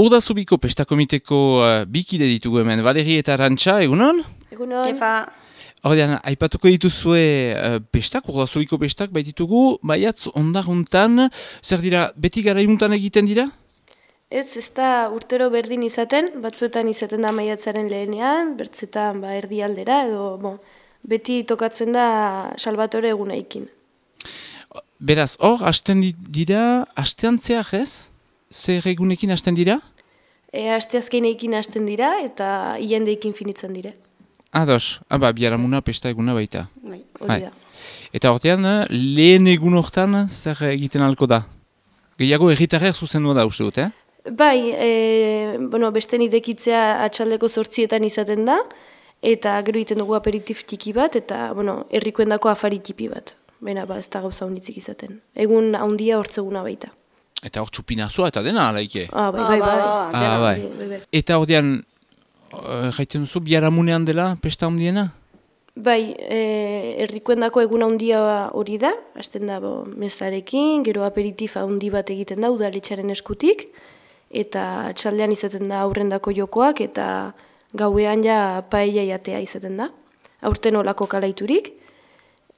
Urdazubiko pestakomiteko bikide ditugu hemen, Valeri eta Arantxa, egunon? Egunon. Kefa. Ordean, aipatuko dituzue pestak, Urdazubiko pestak baititugu, baiatz ondaruntan, zer dira, beti garaiuntan egiten dira? Ez da urtero berdin izaten, batzuetan izaten da maiatzaren lehenean, bertzetan erdialdera, edo beti tokatzen da Salvatore egunaikin. Beraz, hor, hasten dira, hasteantzeak ez? Zer egunekin hasten dira? Asteazkeneikin hasten dira eta ilandeikin finitzen dire. Ados, biaramuna pesta eguna baita. Bai, hori da. Eta hortean, lehen egun hortan zer egiten alko da? Gehiago erritarrer zuzendua da uste dut, Bai, besten idekitzea atxaldeko 8etan izaten da, eta gero egiten dugu aperitif txiki bat, eta herrikoendako afari txipi bat. Baina ez da gauza honitzik izaten. Egun handia hortzeguna baita. Eta hor txupinazua eta dena, alaike? Bai. Eta ordean, jaiten duzu, biharamunean dela pesta handiena? Bai, herrikoendako egun handia hori da, hasten da mezarekin, gero aperitifa handi bat egiten da, udaletxaren eskutik, eta txaldean izaten da aurrendako jokoak, eta gauean ja paella jatea izaten da, aurten olako kalaiturik,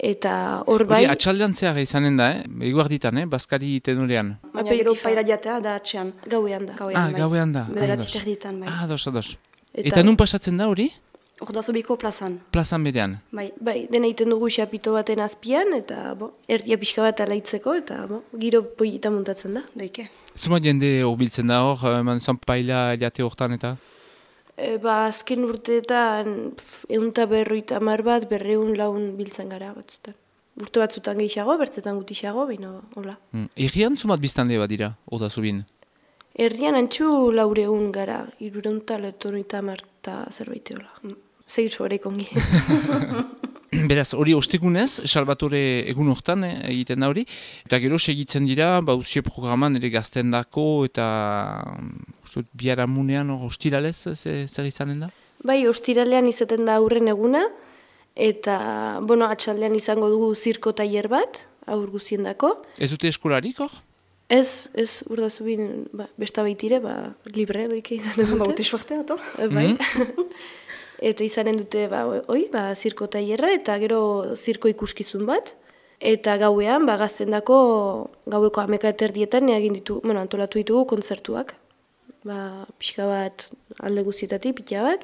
eta hor bai... Atxaldean zehar izanen da, eguarditan, Baskari tenurean. Baina gero paella jatea da atxean. Gauean da. Gauean da. Bederatzi terditan, bai. Ados. Eta nun pasatzen da hori? Urdazubiko plazan. Plazan bedean. Bai, dena egiten dugu xapito baten azpian, eta erdia pixka bat alaitzeko, eta giro pollita muntatzen da. Daike. Zuma jende horbiltzen da hor, zan paella jate hortan eta? Azken urteetan 150 bat, 200 laun biltzen gara batzutan. Urte batzutan gehiago, bertzetan gutixago, baina hola. Errian zumat biztande bat dira, Urdazubin? Errian antxu 400 gara, 390 eta zerbait hola. Segitzu horreik ongi. Beraz, hori ostegunez, Salvatore egun hortan egiten da hori, eta gero segitzen dira, usie programan ere gazten dako, eta biharamunean ostiralez zer izanen da? Bai, ostiralean izaten da aurren eguna, eta atxaldean izango dugu zirko tailer bat, aur guzien dako. Ez dute eskolarik hor? Ez, Urdazubin besta baitire, libre doike izanen dute. Baute suertea, to? Bai. Eta izanen dute, zirko tailerra eta gero zirko ikuskizun bat. Eta gauean, gazten dako, gaueko 11:00 egin antolatu ditugu kontzertuak. Pixka bat alde guztietatik, pila bat,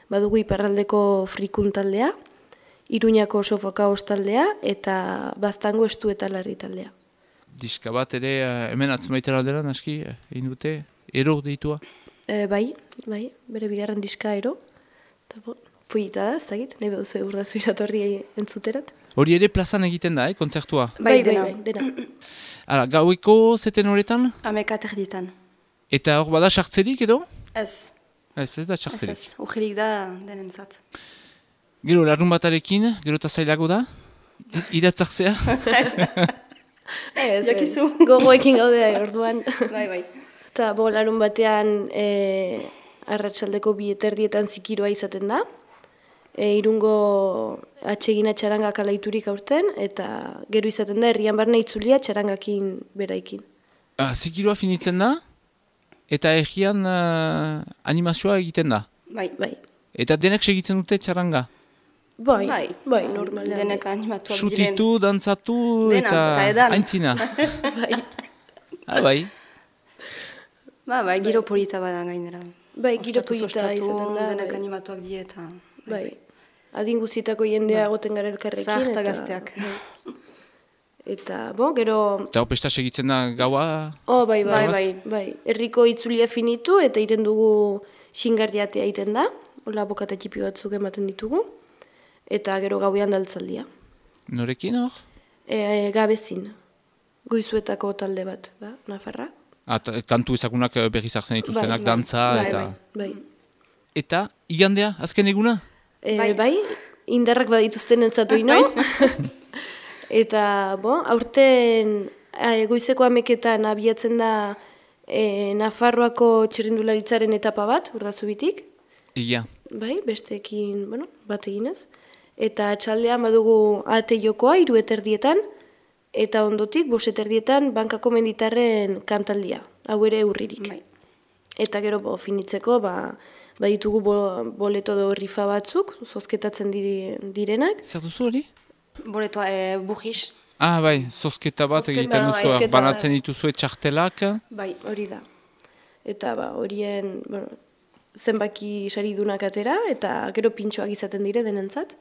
badugu iparraldeko frikun taldea, Iruñako sofoka taldea, eta Baztango estu eta larri taldea. Diska bat ere, hemen atzemaitera aldera, naski, egin dute, ero deitua? Bai, bere bigarren diska ero. Pollita da, ez dakit, nahi behuzu Urdazu iratorri entzuterat. Hori ere plazan egiten da, kontzertua? Bai, dena. Hala, gaueko zeten horretan? 11:00. Eta hor bada sartzerik edo? Ez. Ez da sartzerik. Ez, ujirik da denentzat. Gero, larrun batarekin, gero eta zailago da? Iratzartzea? Jakizu. Gogoekin gaudea orduan. Bai. Eta larun batean arratsaldeko 2:00 zikiroa izaten da. Irungo atsegina txaranga kalaiturik aurten, eta gero izaten da herrian barne itzulia txarangakin beraikin. Zikiroa finitzen da, eta herrian animazioa egiten da? Bai. Eta denek segitzen dute txaranga? Bai, normalean. Denek animatuak diren. Sutitu, dantzatu, eta aintzina? Bai. Bai, giro polita badan gainera. Bai, giro polita izaten da. Denek animatuak dieta. Bai, adin guztietako jendea goten gara elkarrekin. Zaharta gazteak. Eta, gero... Eta pesta segitzen da gaua? Bai. Herriko itzulia finitu eta egiten dugu xingardiatea egiten da. Hola, bokata txipi batzuk ematen ditugu. Eta gero gauean daltzaldia. Norekin hor? Gabezin. Goizuetako talde bat, da, Nafarra. Kantu ezagunak berriz hartzen dituztenak, dantza eta... Bai. Eta, igandea, azken eguna? Bai, indarrak badituzten entzatu ino. Eta, aurten goizeko 11:00 abiatzen da Nafarroako txirrindularitzaren etapa bat, Urdazubitik. Ia. Bai, besteekin, bat eginez. Eta atxaldean badugu ate jokoa, 3:30, eta ondotik, 5:30 bankako menditarren kantaldia. Hau ere urririk. Bai. Eta gero finitzeko, ditugu boleto do rifa batzuk, zozketatzen direnak. Zer duzu hori? Boletoa bujiz. Bai, zozketa bat egiten duzu, banatzen dituzue txartelak. Bai, hori da. Eta horien zenbaki saridunak atera, eta gero pintxoak izaten dire denentzat.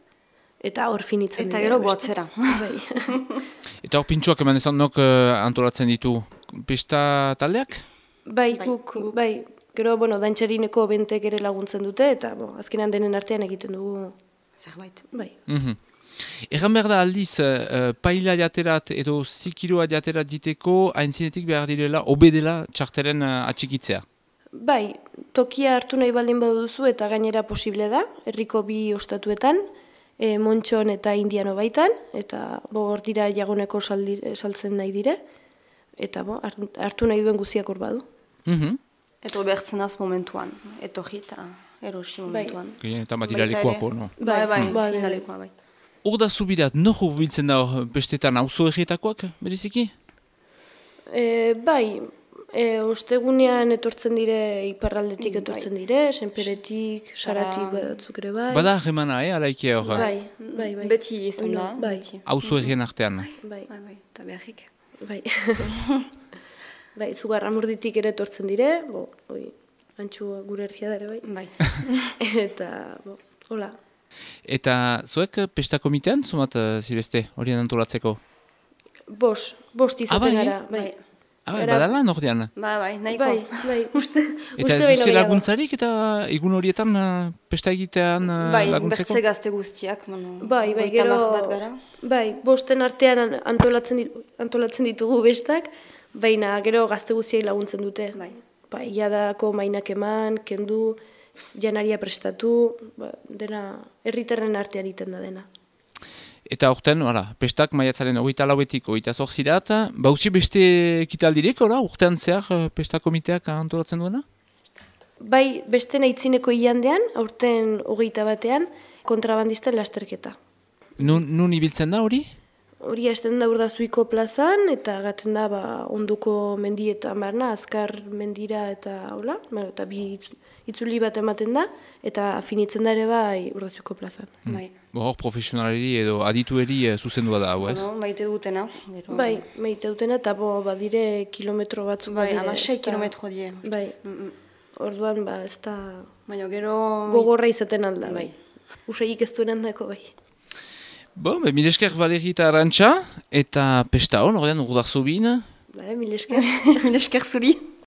Eta hor finitzen dira. Eta gero boatzera. Bai. Eta hor pintxoak eman ezan nok antolatzen ditu pesta taldeak? Bai, guk. Gero, dantxarineko bentek ere laguntzen dute, eta azkenan denen artean egiten dugu. Zerbait. Bai. Egan behar da aldiz, paila jaterat edo zikiroa jaterat diteko, haintzinetik behar direla, obedela txarteren atxikitzea? Bai, tokia hartu nahi baldin baduzu eta gainera posible da, herriko bi ostatuetan, Montxon eta Indiano baitan, eta hor dira jagoneko saltzen nahi dire, eta hartu nahi duen guziak hor badu. Eta behartzen az momentuan, etorri eta erosi momentuan. Eta bat iralekuako, no? Bai, zinalekoa, bai. Hor da zubirat, noho biltzen da bestetan auzo egitakoak, beriziki? Bai, ostegunean etortzen dire, iparraldetik etortzen dire, senperetik, saratik batzuk ere bai. Bada remana, alaikia hor? Bai. Beti izan da, beti. Auzo egien artean? Bai. Eta beharrik. Bai. Bai, Zugarramurditik ere etortzen dire, antxu gure ergia dara, bai. Eta, hola. Eta zuek pesta komitean, zumat zibeste, horien antolatzeko? Bost izaten gara, bai. Badala nordean? Bai, nahiko. Bai, uste eta ez duze laguntzarik eta egun horietan pesta egitean laguntzeko? Bai, bertze gazte guztiak. Bai, gero, bosten artean antolatzen ditugu bestak, baina gero gazte guztiak laguntzen dute. Bai, iadako mainak eman, kendu, janaria prestatu, dena herritarren artean iten da dena. Eta horten, pestak maiatzaren 24etik 28 bautzi beste ekitaldirek, urtean zehar pesta komiteak antolatzen duena? Bai, beste naitzineko ilandean, aurten 21ean, kontrabandisten lasterketa. Nun ibiltzen da hori? Hori hasten da Urdazuiko plazan, eta gaten da onduko mendietan barna, azkar mendira eta hola, eta bi itzuli bat ematen da, eta finitzen da ere bai Urdazuiko plazan. Hor profesionalari edo aditueri zuzendua da, hau ez? Maite dutena. Bai, maite dutena, eta badire kilometro batzuk. Bai, 6 kilometro die. Bai, orduan ez da gero gogorra izaten alda, bai. Usaik ez duen handako, bai. Mil esker Valeri eta Arantxa, eta pesta hon, ordean urdarzubin. Mil esker. Mil esker zuri.